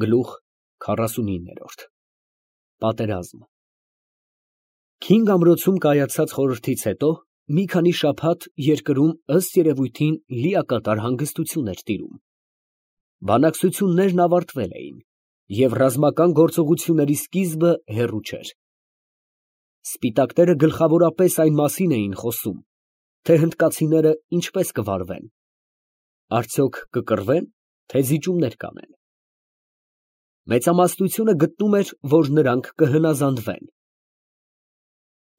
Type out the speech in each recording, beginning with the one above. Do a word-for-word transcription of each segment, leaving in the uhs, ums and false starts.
Գլուխ քառասունինը Պատերազմ Քինգ ամրոցում կայացած խորհրդից հետո մի քանի շաբաթ երկրում ըստ երևույթին լիակատար հանգստություն էր տիրում։ Բանակցություններն ավարտվել էին, և ռազմական գործողությունների սկիզբը հեռու չէր։ Սպիտակները գլխավորապես այն մասին էին խոսում, թե հնդկացիները ինչպես կվարվեն, արդյոք կկռվեն, թե զիջումներ կանեն։ Մեծամասնությունը գտնում էր, որ նրանք կհնազանդվեն։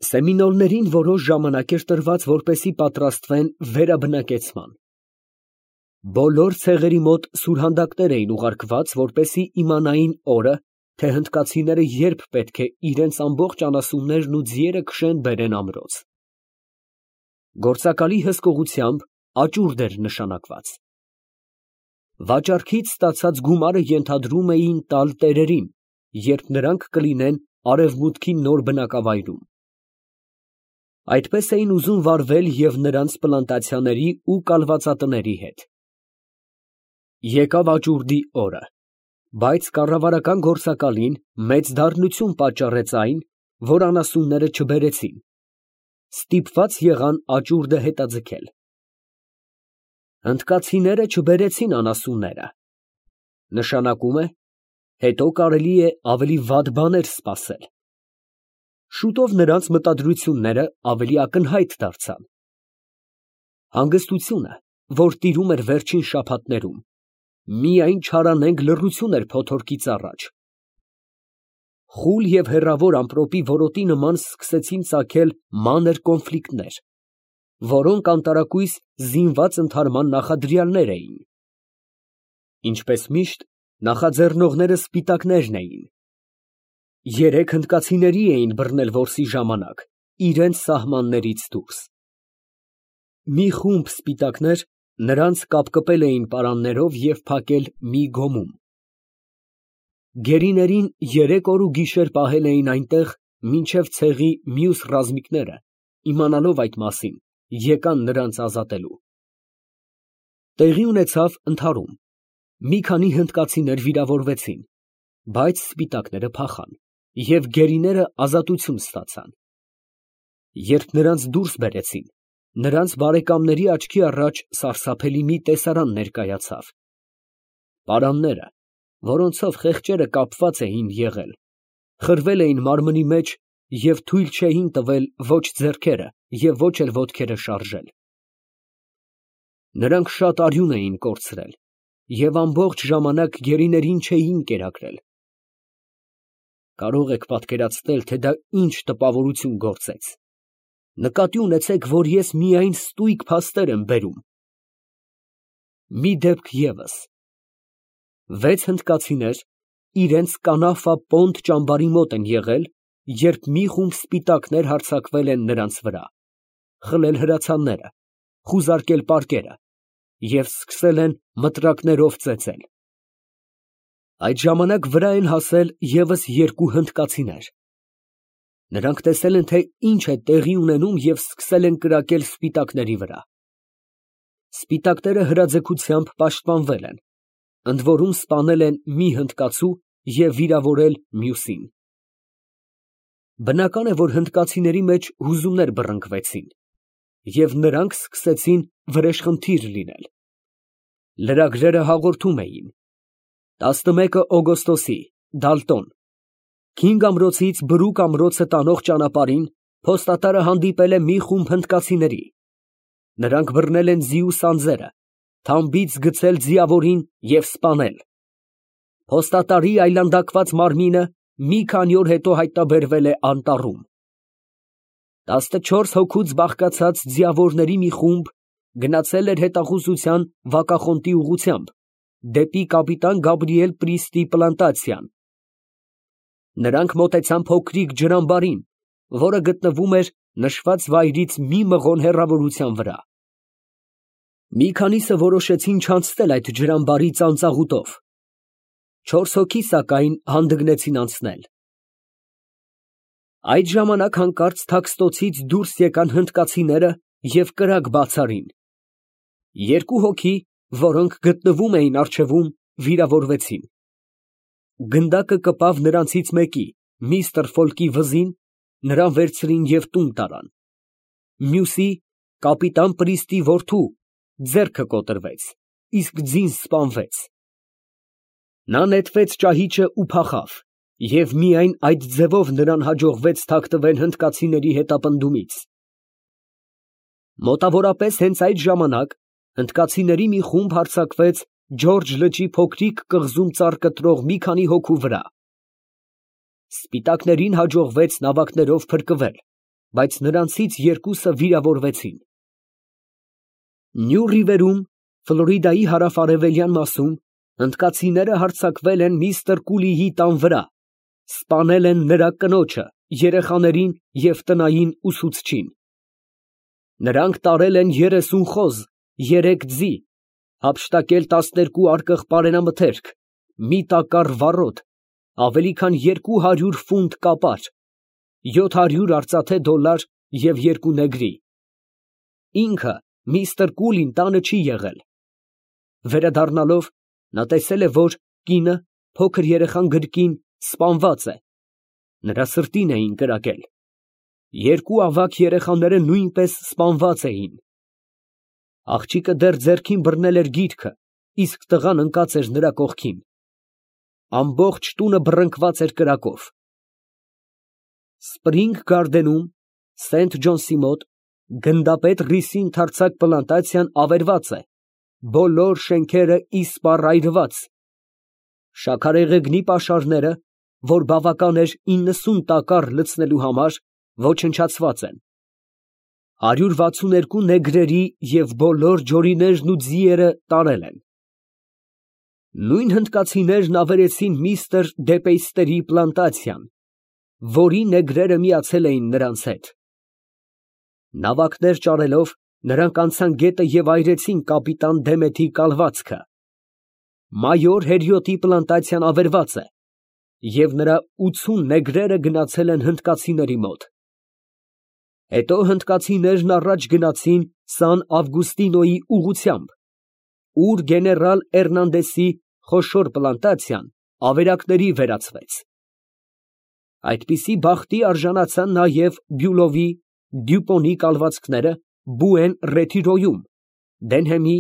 Սեմինոլներին որոշ ժամանակ էր տրված, որպեսզի պատրաստվեն վերաբնակեցման։ Բոլոր ցեղերի մոտ սուրհանդակներ էին ուղարկված, որպեսզի իմանային օրը, թե հնդկացիները երբ պետք է իրենց ամբողջ անասուններն ու ձիերը քշեն բերեն ամրոց։ Գործակալի հսկողությամբ աճուրդ էր նշանակված։ Վաճառքից ստացած գումարը ենթադրում էին տալ տերերին, երբ նրանք կլինեն արևմուտքի նոր բնակավայրում։ Այդպես էին ուզում վարվել և նրանց պլանտացիաների ու կալվածատների հետ։ Եկավ աճուրդի օրը, բայց կառավարական գործակալին մեծ դառնություն պատճառեց այն, որ անասունները չբերեցին, ստիպված եղան աճուրդը հետաձգել։ Հնդկացիները չբերեցին անասունները, նշանակում է, հետո կարելի է ավելի վատ բաներ սպասել։ Շուտով նրանց մտադրությունները ավելի ակնհայտ դարձան։ Հանգստությունը, որ տիրում էր վերջին շաբաթներում, միայն չարանենգ լռություն էր փոթորկից առաջ։ Խուլ և հեռավոր ամպրոպի որոտի նման սկսեցին ծագել մանր կոնֆլիկտներ, որոնք անտարակույս զինված ընդհարման նախադրյալներ էին։ Ինչպես միշտ, նախաձեռնողները սպիտակներն էին։ Երեք հնդկացիների էին բռնել որսի ժամանակ, իրենց սահմաններից դուրս։ Մի խումբ սպիտակներ նրանց կապկպել էին պարաններով և փակել մի գոմում։ Գերիներին երեք օր ու գիշեր պահել էին այնտեղ, մինչև ցեղի մյուս ռազմիկները, իմանալով այդ մասին, եկան նրանց ազատելու։ Տեղի ունեցավ ընդհարում, մի քանի հնդկացիներ վիրավորվեցին, բայց սպիտակները փախան, և գերիները ազատություն ստացան։ Երբ նրանց դուրս բերեցին, նրանց բարեկամների աչքի առաջ սարսափելի մի տեսարան ներկայացավ։ Պարանները, որոնցով խեղճերը կապված էին եղել, խրվել էին մարմնի մեջ և թույլ չէին տվել ոչ ձեռքերը և ոչ էլ ոտքերը շարժել։ Նրանք շատ արյուն էին կորցրել և ամբողջ ժամանակ գերիներին չէին կերակրել։ Կարող եք պատկերացնել, թե դա ինչ տպավորություն գործեց։ Նկատի ունեցեք, որ ես միայն ստույգ փաստեր եմ բերում։ Մի դեպք ևս. վեց հնդկացիներ իրենց Կանաֆա֊Պոնտ ճամբարի մոտ են եղել, երբ մի խումբ սպիտակներ հարձակվել են նրանց վրա, խլել հրացանները, խուզարկել պարկերը և սկսել են մտրակներով ծեծել։ Այդ ժամանակ վրա են հասել ևս երկու հնդկացիներ։ Նրանք տեսել են, թե ինչ է տեղի ունենում և սկսել են կրակել սպիտակների վրա։ Սպիտակները հրաձգությամբ պաշտպանվել են, ընդորում սպանել են մի հնդկացու և վիրավորել մյուսին։ Բնական է, որ հնդկացիների մեջ հուզումներ բռնկվեցին, և նրանք սկսեցին վրեժխնդիր լինել։ Լրագրերը հաղորդում էին. տասնմեկը օգոստոսի, Դալտոն, Քինգ ամրոցից Բրուկ ամրոցը տանող ճանապարհին փոստատարը հանդիպել է մի խումբ հնդկացիների։ Նրանք բռնել են ձիու սանձերը, թամբից գցել ձիավորին և սպանել։ Փոստատարի այլանդակված մարմինը մի քանի օր հետո հայտնաբերվել է անտառում։ Տասնչորս հոգուց բաղկացած ձիավորների մի խումբ գնացել էր հետախուզության Վակախոնտի ուղղությամբ, դեպի կապիտան Գաբրիել Պրիստի պլանտացիան։ Նրանք մոտեցան փոքրիկ ջրամբարին, որը գտնվում էր նշված վայրից մի մղոն հեռավորության վրա։ Մի քանիսը որոշեցին չանցնել այդ ջրամբարի ծանծաղուտով։ Չորս հոգի, սակայն, հանդգնեցին անցնել։ Այդ ժամանակ հանկարծ թաքստոցից դուրս եկան հնդկացիները և կրակ բաց արին։ Երկու հոգի, որոնք գտնվում էին առջևում, վիրավորվեցին։ Գնդակը կպավ նրանցից մեկի, միստր Ֆոլկի վզին, նրան վերցրին և տուն տարան, մյուսի, կապիտան Պրիստի որդու, ձեռքը կոտրվեց, իսկ ձին սպանվեց։ Նա նետվեց ճահիճը ու փախավ, և միայն այդ ձևով նրան հաջողվեց թաքնվել հնդկացիների հետապնդումից։ Մոտավորապես հենց այդ ժամանակ հնդկացիների մի խումբ հարձակվեց Ջորջ լճի փոքրիկ կղզում ծառ կտրող մի քանի հոգու վրա։ Սպիտակներին հաջողվեց նավակներով փրկվել, բայց նրանցից երկուսը վիրավորվեցին։ Նյու Ռիվերում, Ֆլորիդայի հարավ֊արևելյան մասում, հնդկացիները հարձակվել են միստր Կուլիի տան վրա, սպանել են նրա կնոջը, երեխաներին և տնային ուսուցչին։ Նրանք տարել են երեսուն խոզ, երեք ձի, հափշտակել տասներկու արկղ պարենամթերք, մի տակառ վառոդ, ավելի քան երկու հարյուր ֆունտ կապար, յոթ հարյուր արծաթե դոլար և երկու նեգրի։ Ինքը միստր Կուլին տանը չի եղել։ Վերադառնալով, նա տեսել է, որ կինը, փոքր երեխան գրկին, սպանված է, նրա սրտին էին կրակել։ Երկու ավագ երեխաները նույնպես սպանված էին։ Աղջիկը դեռ ձեռքին բռնել էր գիրքը, իսկ տղան ընկած էր նրա կողքին։ Ամբողջ տունը բռնկված էր կրակով։ Սպրինգ Գարդենում, Սենթ Ջոնսի մոտ, գնդապետ Ռիսի ընդարձակ պլանտացիան ավերված է, բոլոր շենքերը իսպառ այրված։ Շաքարեղեգնի պաշարները, որ բավական էր իննսուն տակառ լցնելու համար, ոչնչացված են։ Հարյուր վաթսուններկու նեգրերի և բոլոր ջորիներն ու ձիերը տարել են։ Նույն հնդկացիներն ավերեցին միստր Դեպեյստերի պլանտացիան, որի նեգրերը միացել էին նրանց հետ։ Նավակներ ճարելով, նրանք անցան գետը և այրեցին կապիտան Դեմեթի կալվածքը։ մայոր Հերյոտի պլանտացիան ավերված է, և նրա ութսուն նեգրերը գնացել են հնդկացիների մոտ։ Հետո հնդկացիներն առաջ գնացին Սան Ավգուստինոյի ուղղությամբ, ուր գեներալ Էրնանդեսի խոշոր պլանտացիան ավերակների վերածվեց։ Այդպիսի բախտի արժանացան նաև Բյուլովի, Դյուպոնի կալվածքները Բուեն Ռետիրոյում, Դենհեմի,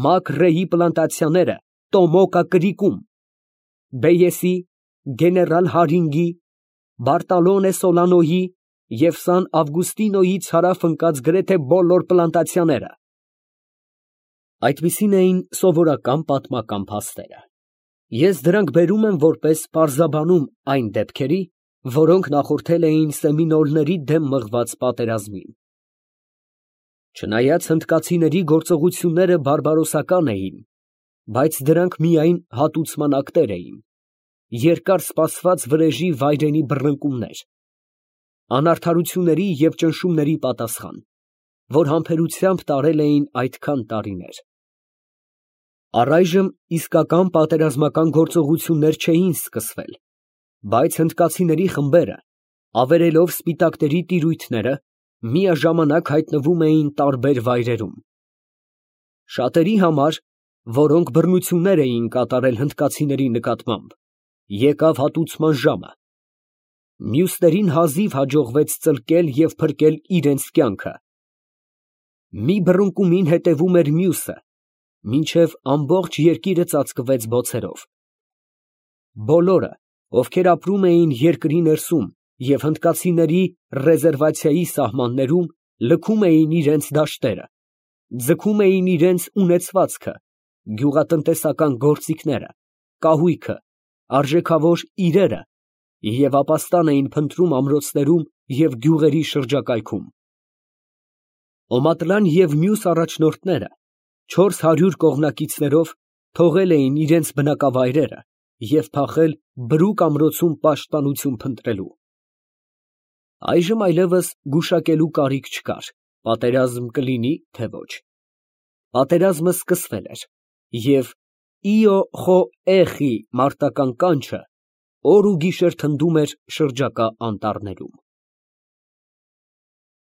Մակ Ռեյի պլանտացիաները Տոմոկա կրիկում, Բեյեսի, գեներալ Հարինգի, Բարտալոնե Սոլանոյի և Սան Ավգուստինոյից հարավ ընկած գրեթե բոլոր պլանտացիաները։ Այդպիսին էին սովորական պատմական փաստերը։ Ես դրանք բերում եմ որպես պարզաբանում այն դեպքերի, որոնք նախորդել էին սեմինոլների դեմ մղված պատերազմին։ Չնայած հնդկացիների գործողությունները բարբարոսական էին, բայց դրանք միայն հատուցման ակտեր էին, երկար սպասված վրեժի վայրենի բռնկումներ, անարդարությունների և ճնշումների պատասխան, որ համբերությամբ տարել էին այդքան տարիներ։ Առայժմ իսկական պատերազմական գործողություններ չէին սկսվել, բայց հնդկացիների խմբերը, ավերելով սպիտակների տիրույթները, միաժամանակ հայտնվում էին տարբեր վայրերում։ Շատերի համար, որոնք բռնություններ էին կատարել հնդկացիների նկատմամբ, եկավ հատուցման ժամը։ Մյուսներին հազիվ հաջողվեց ծլկել և փրկել իրենց կյանքը։ Մի բռնկումին հետևում էր մյուսը, մինչև ամբողջ երկիրը ծածկվեց բոցերով։ Բոլորը, ովքեր ապրում էին երկրի ներսում և հնդկացիների ռեզերվացիայի սահմաններում, լքում էին իրենց դաշտերը, ձգում էին իրենց ունեցվածքը, գյուղատնտեսական գործիքները, կահույքը, արժեքավոր իրերը և ապաստան էին փնտրում ամրոցներում և գյուղերի շրջակայքում։ Օմատլան և մյուս առաջնորդները չորս հարյուր կողմնակիցներով թողել էին իրենց բնակավայրերը և փախել Բրուկ ամրոցում պաշտպանություն փնտրելու։ Այժմ այլևս գուշակելու կարիք չկար, պատերազմ կլինի, թե ոչ։ Պատերազմը սկսվել էր, և «Իո խո էխի» մարտական կանչը օր ու գիշեր թնդում էր շրջակա անտառներում։